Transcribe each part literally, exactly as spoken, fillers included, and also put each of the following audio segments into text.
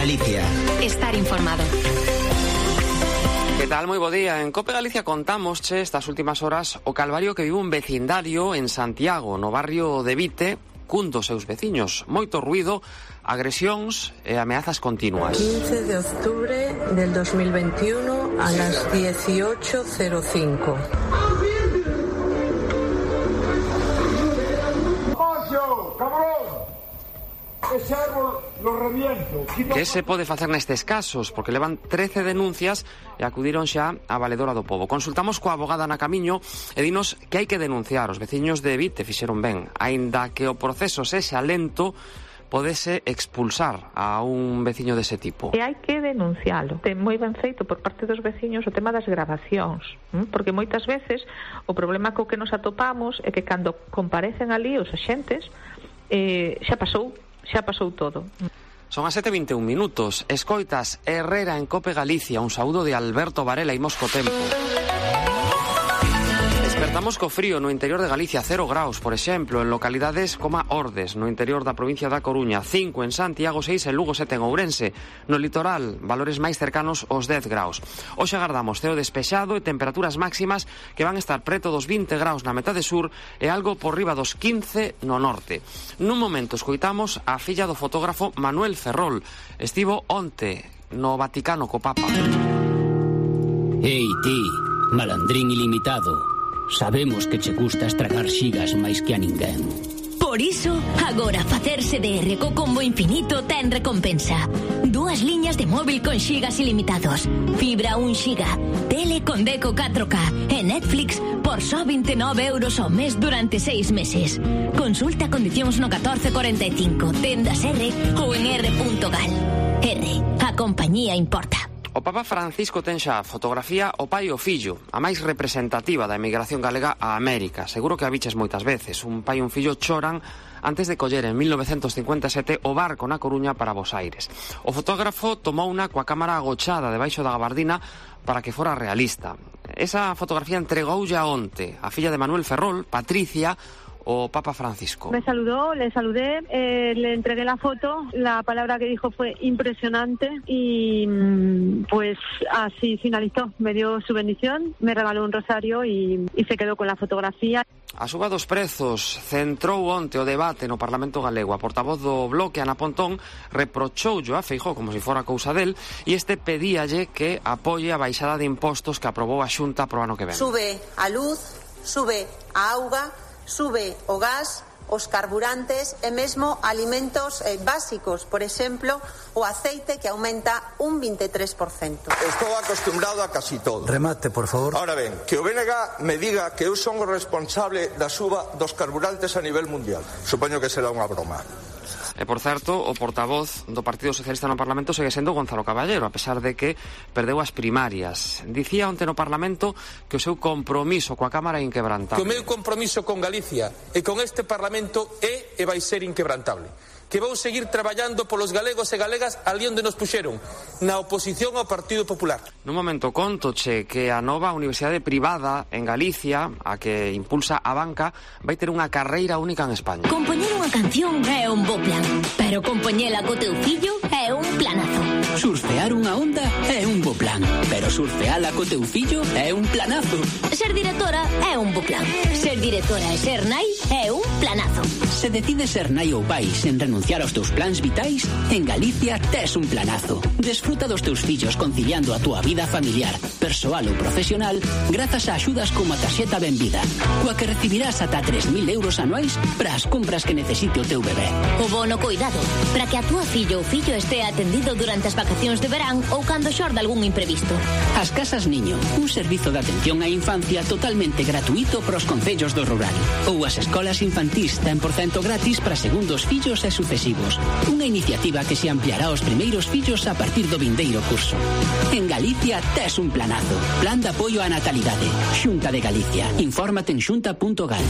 Galicia. Estar informado. Que tal? Moi bo día. En Cope Galicia contamos che estas últimas horas o calvario que vive un vecindario en Santiago, no barrio de Vite, cun dos seus veciños. Moito ruido, agresións e ameazas continuas. quince de octubre del dos mil veintiuno a las dieciocho cero cinco. Ese árbol lo reviento. Que se pode facer nestes casos? Porque levan trece denuncias e acudiron xa a Valedora do Pobo. Consultamos coa abogada na Camiño e dinos que hai que denunciar. Os veciños de Vite fixeron ben. Aínda que o proceso sexa lento, podese expulsar a un veciño dese tipo. E hai que denuncialo. Ten moi ben feito por parte dos veciños o tema das gravacións, porque moitas veces o problema co que nos atopamos é que cando comparecen ali os axentes eh, xa pasou xa pasou todo. Son as sete e vinte e un minutos. Escoitas Herrera en Cope Galicia. Un saúdo de Alberto Varela e Mosco Tempo. Despertamos co frío no interior de Galicia, cero graus, por exemplo, en localidades como Ordes, no interior da provincia da Coruña, cinco en Santiago, seis en Lugo, sete en Ourense. No litoral, valores máis cercanos aos dez graus. Hoxe agardamos ceo despexado e temperaturas máximas que van estar preto dos vinte graus na metade sur e algo por riba dos quince no norte. Nun momento escoitamos a filla do fotógrafo Manuel Ferrol. Estivo onte no Vaticano co Papa. Ei ti, malandrín ilimitado. Sabemos que che gusta estragar xigas máis que a ninguén. Por iso, agora facerse D R co combo infinito ten recompensa. Dúas liñas de móvil con xigas ilimitados, fibra un xiga, tele con Deco catro K e Netflix por só vinte e nove euros ao mes durante seis meses. Consulta condicións no catorce cuarenta e cinco, tendas R ou en r punto gal. R, a compañía importa. O Papa Francisco ten xa fotografía o pai e o fillo, a máis representativa da emigración galega a América. Seguro que a biches moitas veces. Un pai e un fillo choran antes de coller en mil novecentos cincuenta e sete o barco na Coruña para Bos Aires. O fotógrafo tomou unha coa cámara agochada debaixo da gabardina para que fora realista. Esa fotografía entregoulle a onte a filla de Manuel Ferrol, Patricia, o Papa Francisco. Me saludó, le saludé, eh, le entregué la foto, la palabra que dijo fue impresionante y pues así finalizó. Me dio su bendición, me regaló un rosario y, y se quedó con la fotografía. A suba dos prezos centrou onte o debate no Parlamento Galego. A portavoz do Bloque, Ana Pontón, reprochoulle a Feijóo como se fora cousa del e este pedíalle que apoie a baixada de impostos que aprobou a Xunta pro ano que ven. Sube a luz, sube a auga, sube o gas, os carburantes e mesmo alimentos eh, básicos, por exemplo, o aceite que aumenta un veintitrés por ciento. Estou acostumbrado a casi todo. Remate, por favor. Ahora ben, que o B N G me diga que eu son o responsable da suba dos carburantes a nivel mundial. Supoño que será unha broma. E, por certo, o portavoz do Partido Socialista no Parlamento segue sendo Gonzalo Caballero, a pesar de que perdeu as primarias. Dicía onte no Parlamento que o seu compromiso coa Cámara é inquebrantable. Que o meu compromiso con Galicia e con este Parlamento é e vai ser inquebrantable. Que vou seguir traballando polos galegos e galegas ali onde nos puxeron, na oposición ao Partido Popular. Nun momento contoche que a nova universidade privada en Galicia, a que impulsa a banca, vai ter unha carreira única en España. Compoñer unha canción é un bo plan, pero compoñela co teu fillo é un planazo. Surfear unha onda é un bo plan, pero surfeala co teu fillo é un planazo. Ser directora é un bo plan. Ser directora e ser nai é un planazo. Se decides ser nai ou pai sen renunciar aos teus plans vitais, en Galicia tes un planazo. Desfruta dos teus fillos conciliando a túa vida familiar, persoal ou profesional grazas a axudas como a tarxeta Benvida, coa que recibirás ata tres mil euros anuais para as compras que necesite o teu bebé. O bono coidado, para que a túa fillo ou fillo estea atendido durante as vacacións de verán ou cando xorde algún imprevisto. As Casas Niño, un servizo de atención á infancia totalmente gratuito para os concellos do rural. Ou as escolas infantís cen por cento gratis para segundos fillos e sucesivos. Unha iniciativa que se ampliará aos primeiros fillos a partir do vindeiro curso. En Galicia tes un planazo. Plan de apoio á natalidade. Xunta de Galicia. Infórmate en xunta punto gal.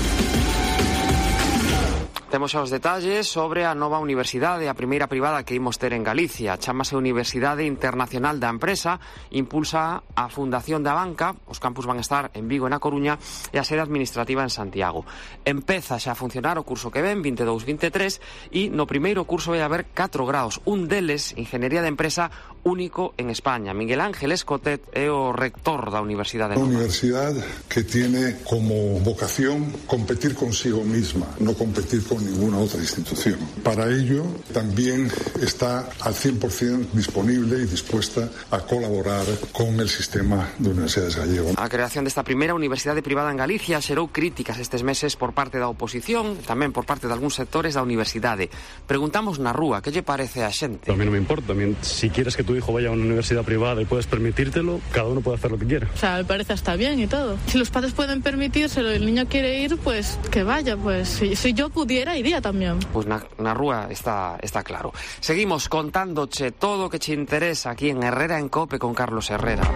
Temos xa os detalles sobre a nova universidade, a primeira privada que imos ter en Galicia. Chámase Universidade Internacional da Empresa, impulsa a Fundación da Banca, os campus van estar en Vigo e na Coruña e a sede administrativa en Santiago. Empeza xa a funcionar o curso que ven, vinte e dous vinte e tres, e no primeiro curso vai haber catro graus, un deles, Ingeniería de Empresa, único en España. Miguel Ángel Escotet é o rector da Universidade. Una universidad que tiene como vocación competir consigo misma, no competir con ninguna otra institución. Para ello, también está al cien por ciento disponible y dispuesta a colaborar con el sistema de universidades gallego. A creación desta primeira universidade privada en Galicia xerou críticas estes meses por parte da oposición, tamén por parte de algúns sectores da universidade. Preguntamos na rúa, que lle parece a xente? A mí non me importa, si quieres que tu hijo vaya a una universidad privada y puedes permitírtelo, cada uno puede hacer lo que quiera. O sea, me parece hasta bien y todo. Si los padres pueden permitírselo y el niño quiere ir, pues que vaya, pues si, si yo pudiera, iría tamén. Pois na, na rúa está, está claro. Seguimos contándoche todo o que che interesa aquí en Herrera en Cope con Carlos Herrera.